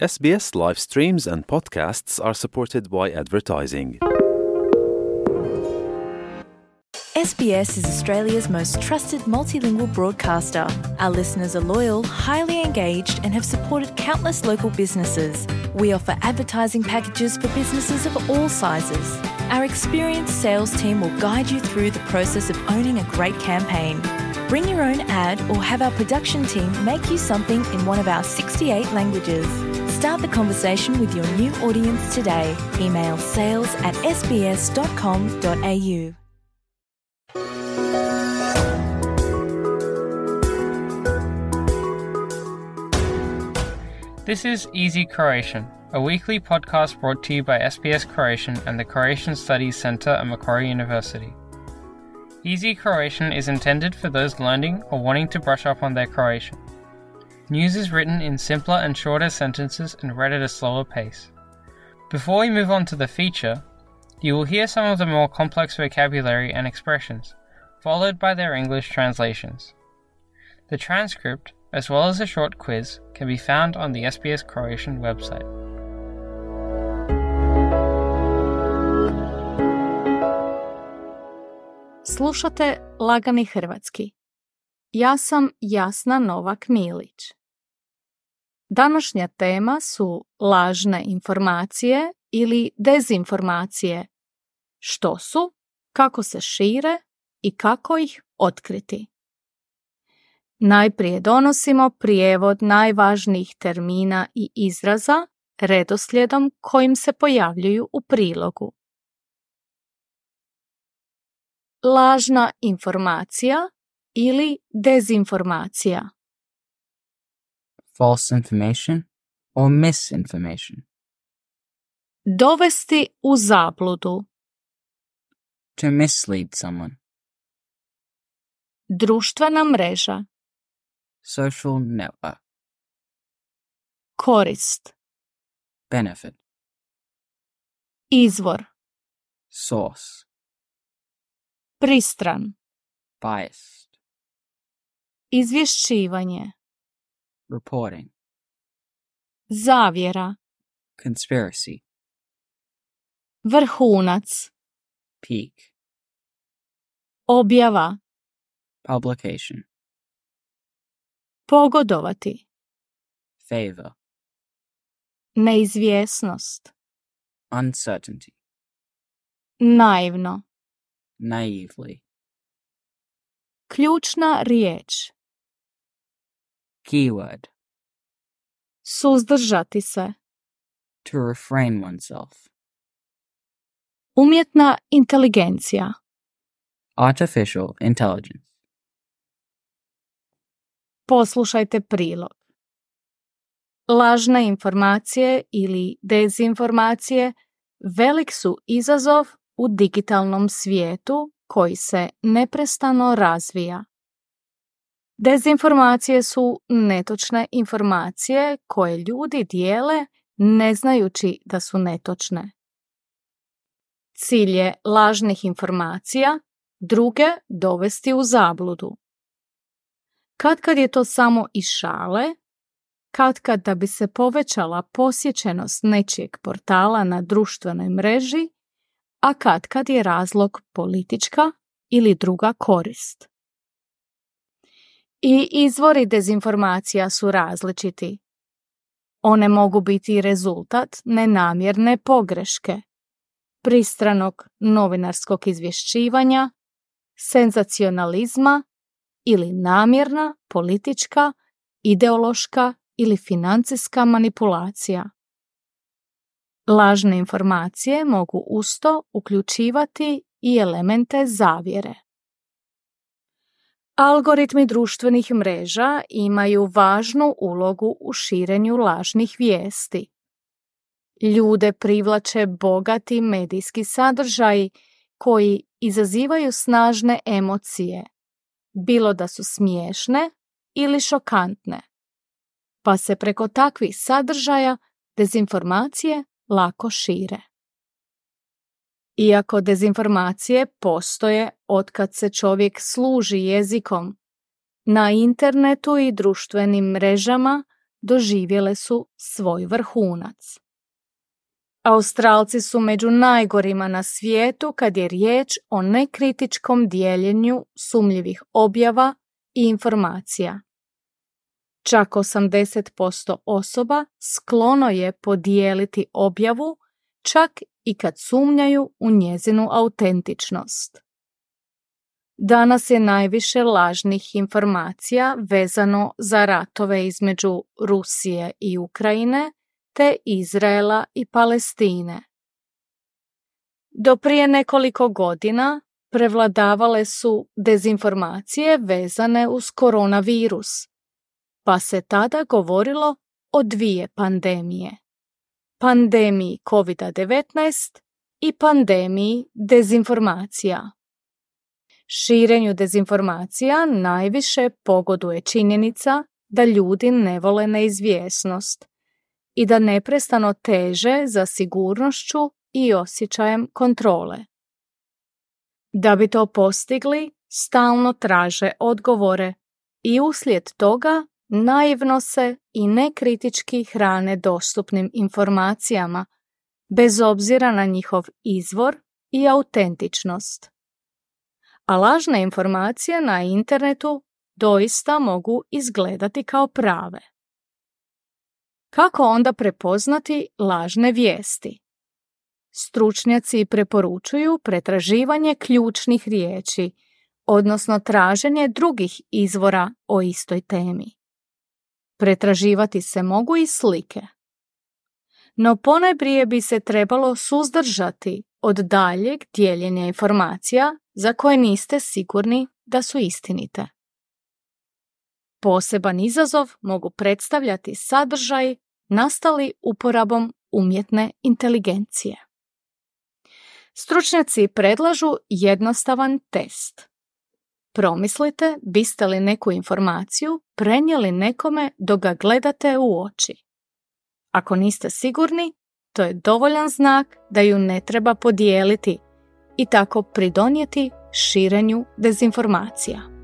SBS live streams and podcasts are supported by advertising. SBS is Australia's most trusted multilingual broadcaster. Our listeners are loyal, highly engaged, and have supported countless local businesses. We offer advertising packages for businesses of all sizes. Our experienced sales team will guide you through the process of owning a great campaign. Bring your own ad or have our production team make you something in one of our 68 languages. Start the conversation with your new audience today. Email sales@sbs.com.au. This is Easy Croatian, a weekly podcast brought to you by SBS Croatian and the Croatian Studies Centre at Macquarie University. Easy Croatian is intended for those learning or wanting to brush up on their Croatian. News is written in simpler and shorter sentences and read at a slower pace. Before we move on to the feature, you will hear some of the more complex vocabulary and expressions, followed by their English translations. The transcript, as well as a short quiz, can be found on the SBS Croatian website. Slušate Lagani hrvatski. Ja sam Jasna Novak-Milić. Današnja tema su lažne informacije ili dezinformacije. Što su, kako se šire i kako ih otkriti. Najprije donosimo prijevod najvažnijih termina i izraza redoslijedom kojim se pojavljuju u prilogu. Lažna informacija ili dezinformacija. False information or misinformation. Dovesti u zabludu. To mislead someone. Društvena mreža. Social network. Korist. Benefit. Izvor. Source. Pristran. Biased. Izvješćivanje. Reporting. Zavjera. Conspiracy. Vrhunac. Peak. Objava. Publication. Pogodovati. Favor. Neizvjesnost. Uncertainty. Naivno. Naively. Ključna riječ. Keyword. Suzdržati se. To refrain oneself. Umjetna inteligencija. Artificial intelligence. Poslušajte prilog. Lažne informacije ili dezinformacije velik su izazov u digitalnom svijetu koji se neprestano razvija. Dezinformacije su netočne informacije koje ljudi dijele ne znajući da su netočne. Cilj je lažnih informacija druge dovesti u zabludu. Katkad je to samo iz šale, katkad da bi se povećala posjećenost nečijeg portala na društvenoj mreži, a katkad je razlog politička ili druga korist. I izvori dezinformacija su različiti. One mogu biti rezultat nenamjerne pogreške, pristranog novinarskog izvješćivanja, senzacionalizma ili namjerna politička, ideološka ili financijska manipulacija. Lažne informacije mogu usto uključivati i elemente zavjere. Algoritmi društvenih mreža imaju važnu ulogu u širenju lažnih vijesti. Ljude privlače bogati medijski sadržaji koji izazivaju snažne emocije, bilo da su smiješne ili šokantne, pa se preko takvih sadržaja dezinformacije lako šire. Iako dezinformacije postoje otkad se čovjek služi jezikom, na internetu i društvenim mrežama doživjele su svoj vrhunac. Australci su među najgorima na svijetu kad je riječ o nekritičkom dijeljenju sumnjivih objava i informacija. Čak 80% osoba sklono je podijeliti objavu, čak i kad sumnjaju u njezinu autentičnost. Danas je najviše lažnih informacija vezano za ratove između Rusije i Ukrajine, te Izraela i Palestine. Do prije nekoliko godina prevladavale su dezinformacije vezane uz koronavirus, pa se tada govorilo o dvije pandemije. Pandemiji COVID-19 i pandemiji dezinformacija. Širenju dezinformacija najviše pogoduje činjenica da ljudi ne vole neizvjesnost i da neprestano teže za sigurnošću i osjećajem kontrole. Da bi to postigli, stalno traže odgovore i uslijed toga naivno se i nekritički hrane dostupnim informacijama, bez obzira na njihov izvor i autentičnost. A lažne informacije na internetu doista mogu izgledati kao prave. Kako onda prepoznati lažne vijesti? Stručnjaci preporučuju pretraživanje ključnih riječi, odnosno traženje drugih izvora o istoj temi. Pretraživati se mogu i slike. No ponajprije bi se trebalo suzdržati od daljeg dijeljenja informacija za koje niste sigurni da su istinite. Poseban izazov mogu predstavljati sadržaj nastali uporabom umjetne inteligencije. Stručnjaci predlažu jednostavan test. Promislite biste li neku informaciju prenijeli nekome dok ga gledate u oči. Ako niste sigurni, to je dovoljan znak da ju ne treba podijeliti i tako pridonijeti širenju dezinformacija.